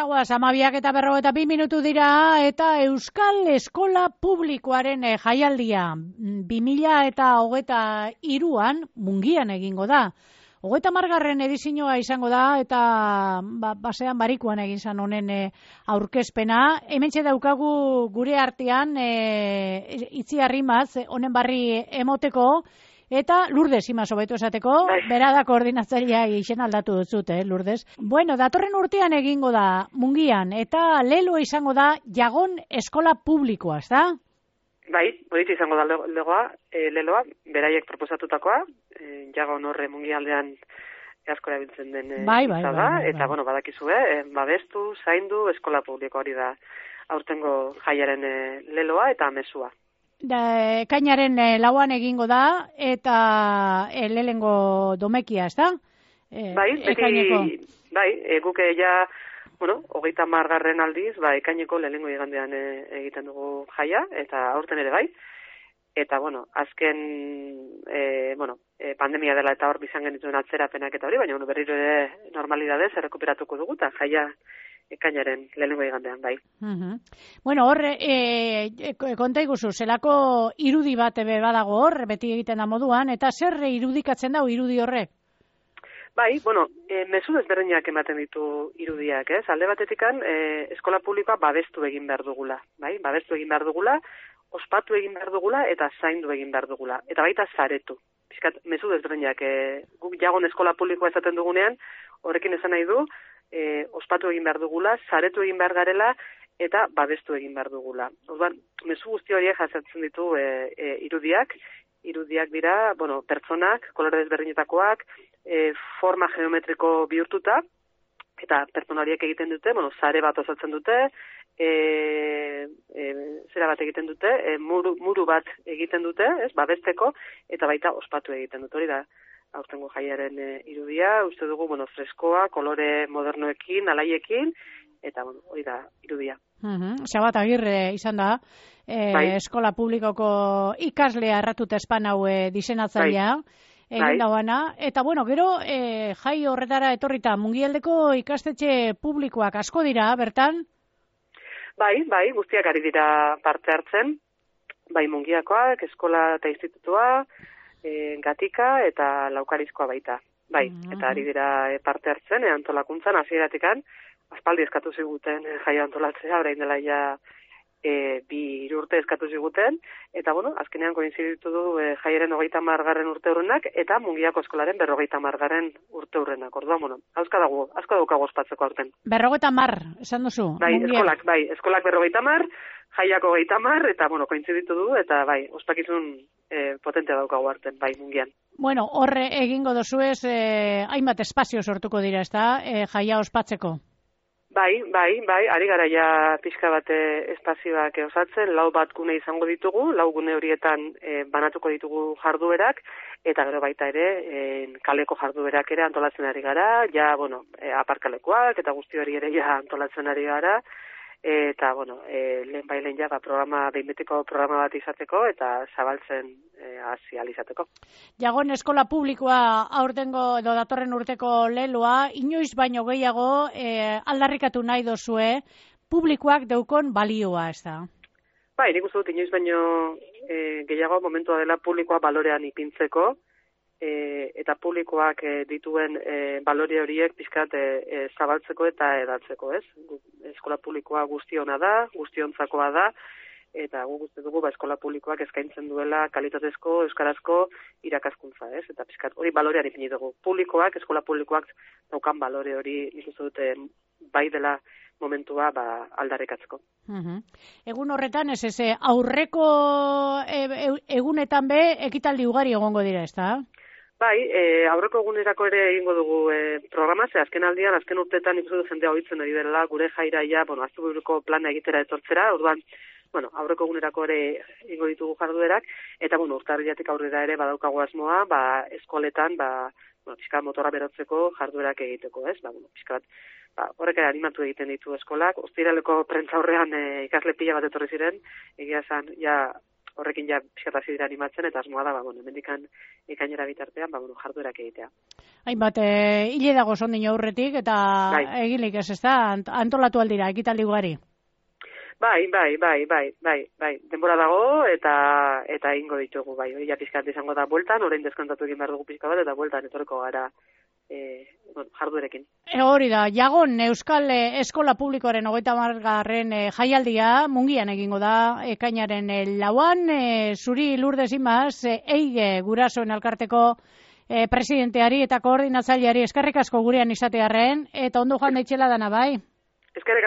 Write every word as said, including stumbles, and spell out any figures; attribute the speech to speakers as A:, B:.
A: Pasagoaz, amabiak eta berro eta bi minutu dira, eta Euskal Eskola Publikoaren eh, jaialdia bi mila eta hogeita hiruan Mungian egingo da. Hogeita margarren edizioa izango da, eta ba, basean barikuan egin zan honen e, aurkezpena. Hementxe daukagu gure artean e, Itziarrimaz honen barri emoteko, eta Lourdes Imaz hobeto esateko, bera da koordinatzailea izen aldatu duzut, eh, Lourdes. Bueno, datorren urtean egingo da Mungian, eta lelo izango da Jagon Eskola Publikoa, ez da?
B: Bai, hori izango da legoa, e, leloa, beraiek proposatutakoa, e, Jagon horre Mungialdean asko erabiltzen den e,
A: bai, bai,
B: da,
A: bai, bai,
B: eta,
A: bai.
B: bueno, badakizue, e, babestu, zaindu, eskola publiko hori da aurtengo jaiaren e, leloa eta mezua.
A: Da, ekainaren e, lauan egingo da, eta e, lehengo domekia, ez da? E,
B: bai, beti,
A: ekaineko.
B: bai, e, guke ja, bueno, hogeita margarren aldiz, ba, ekaineko lehengo igandean e, egiten dugu jaia, eta aurten ere bai. Eta, bueno, azken, e, bueno, e, pandemia dela eta hor bizan genituen atzerapenak eta hori, baina bueno, berriro ere normalidadez errekuperatuko dugu, eta jaia ekainaren lehengo igandean, bai.
A: Uh-huh. Bueno, hor, e, e, konta iguzu, zelako irudi bat ebe badago hor, beti egiten da moduan, eta zer irudikatzen da irudi horrek?
B: Bai, bueno, e, mezu desberdinak ematen ditu irudiak, ez? Alde batetikan, e, eskola publikoa babestu egin behar dugula, bai? Babestu egin behar dugula, ospatu egin behar dugula, eta zaindu egin behar dugula, eta baita zaretu. Piskat, mezu desberdinak, e, guk Jagon eskola publikoa esaten dugunean, horrekin esan nahi du, e, ospatu egin behar dugula, zaretu egin behar garela, eta babestu egin behar dugula. Orduan, mezu guzti horiek jasotzen ditu e, e, irudiak, irudiak dira, bueno, pertsonak, kolore desberdinetakoak, e, forma geometriko bihurtuta, eta pertsona horiek egiten dute, bueno, sare bat osatzen dute, e, e, zera bat egiten dute, e, muru, muru bat egiten dute, ez, babesteko, eta baita ospatu egiten dute, hori da, aurtengo jaiaren e, irudia, uste dugu, bueno, freskoa, kolore modernoekin, alaiekin, eta, bueno, hori da, irudia.
A: Uh-huh. Xabat Agirre izan da, e, bai. Eskola publikoko ikaslea erratut espan hau e, disenatzailea, bai. Egin dauana, eta bueno, gero e, jai horretara etorrita, Mungialdeko ikastetxe publikoak asko dira, bertan?
B: Bai, bai, guztiak ari dira parte hartzen, bai Mungiakoak, eskola eta institutua, e, Gatika eta Laukarizkoa baita. Bai, uh-huh. Eta ari dira parte hartzen, e, antolakuntzan, hasieratik-an, aspaldi eskatu ziguten e, jaia antolatzea, orain dela ja e, bi urte eskatu ziguten, eta bueno, azkenean koinziditu du e, jaiaren hogeita margarren urte hurrenak, eta Mungiako eskolaren berrogeita margarren urte hurrenak. Orduan, bueno, asko dago, asko daukago ospatzeko aurten.
A: Berrogeita mar, esan duzu?
B: Bai,
A: Mungiak.
B: eskolak, bai, eskolak berrogeita mar, jaiako hogeita mar, eta bueno, koinziditu du, eta bai, ospakizun e, potentea daukago arten, bai, Mungian.
A: Bueno, horre egingo dozuez, e, hainbat espazio sortuko dira, ez da, e, jaia ospatzeko?
B: Bai, bai, bai, ari gara ja pixka bate espazioak osatzen, lau bat gune izango ditugu, lau gune horietan e, banatuko ditugu jarduerak, eta gero baita ere, e, kaleko jarduerak ere antolatzen ari gara, ja, bueno, e, aparkalekoak, eta guzti hori ere ja antolatzen ari gara, eta, bueno, e, lehen bailen ja, ba, programa, behinbetiko programa bat izateko, eta zabaltzen e, hasi alizateko.
A: Jagon eskola publikoa aurtengo edo datorren urteko leloa, inoiz baino gehiago e, aldarrikatu nahi dozue, publikoak deukon balioa, ez da?
B: Bai, nik uste dut inoiz baino e, gehiago momentua dela publikoa balorean ipintzeko, e, eta publikoak e, dituen e, balore horiek pixkat e, e, zabaltzeko eta edatzeko, ez? Eskola publikoa guztiona da, guztiontzakoa da, eta gu guzti dugu ba, eskola publikoak eskaintzen duela kalitatezko, euskarazko irakaskuntza, ez? Eta pixkat hori balorean ipini dugu. Publikoak, eskola publikoak daukan balore hori nik uste dute bai dela momentua ba, aldarrikatzeko.
A: Uh-huh. Egun horretan, ez ez, aurreko e, e, egunetan be, ekitaldi ugari egongo dira, ez da?
B: Bai, e, aurreko egunerako ere egingo dugu e, programa, ze azken aldian, azken urteetan ikustu du jendea hoitzen ari dela, gure jaira ja, bueno, asteburuko plana egitera etortzera, orduan, bueno, aurreko egunerako ere egingo ditugu jarduerak, eta, bueno, urtarrilatik aurrera ere badaukago asmoa, ba, eskoletan, ba, bueno, pixka motora berotzeko jarduerak egiteko, ez? Ba, bueno, pixka bat, ba, horrek ere animatu egiten ditu eskolak, ostiraleko prentza horrean e, ikasle pila bat etorri ziren, egia esan, ja, horrekin ja pixkat hasi dira animatzen, eta asmoa da, ba, bueno, hemendikan ekainera bitartean, ba, bueno, jarduerak egitea.
A: Hainbat, e, hile dago sondino aurretik, eta
B: bai.
A: egilik ez, ez da, antolatu aldira, ekitaldi ugari.
B: Bai, bai, bai, bai, bai, bai, denbora dago, eta eta ingo ditugu, bai, hori ja pixkat izango da bueltan, orain deskontatu egin behar dugu pixka bat, eta bueltan etorreko gara e, bueno, jarduerekin.
A: E, hori da, Jagon Euskal Eskola Publikoaren hogeita hamargarren e, jaialdia Mungian egingo da, ekainaren e, lauan, e, zuri Lourdes Imaz, e, eige gurasoen elkarteko e, presidenteari eta koordinatzaileari eskerrik asko gurean izatearren, eta ondo joan daitxela dana, bai?
B: Eskerrik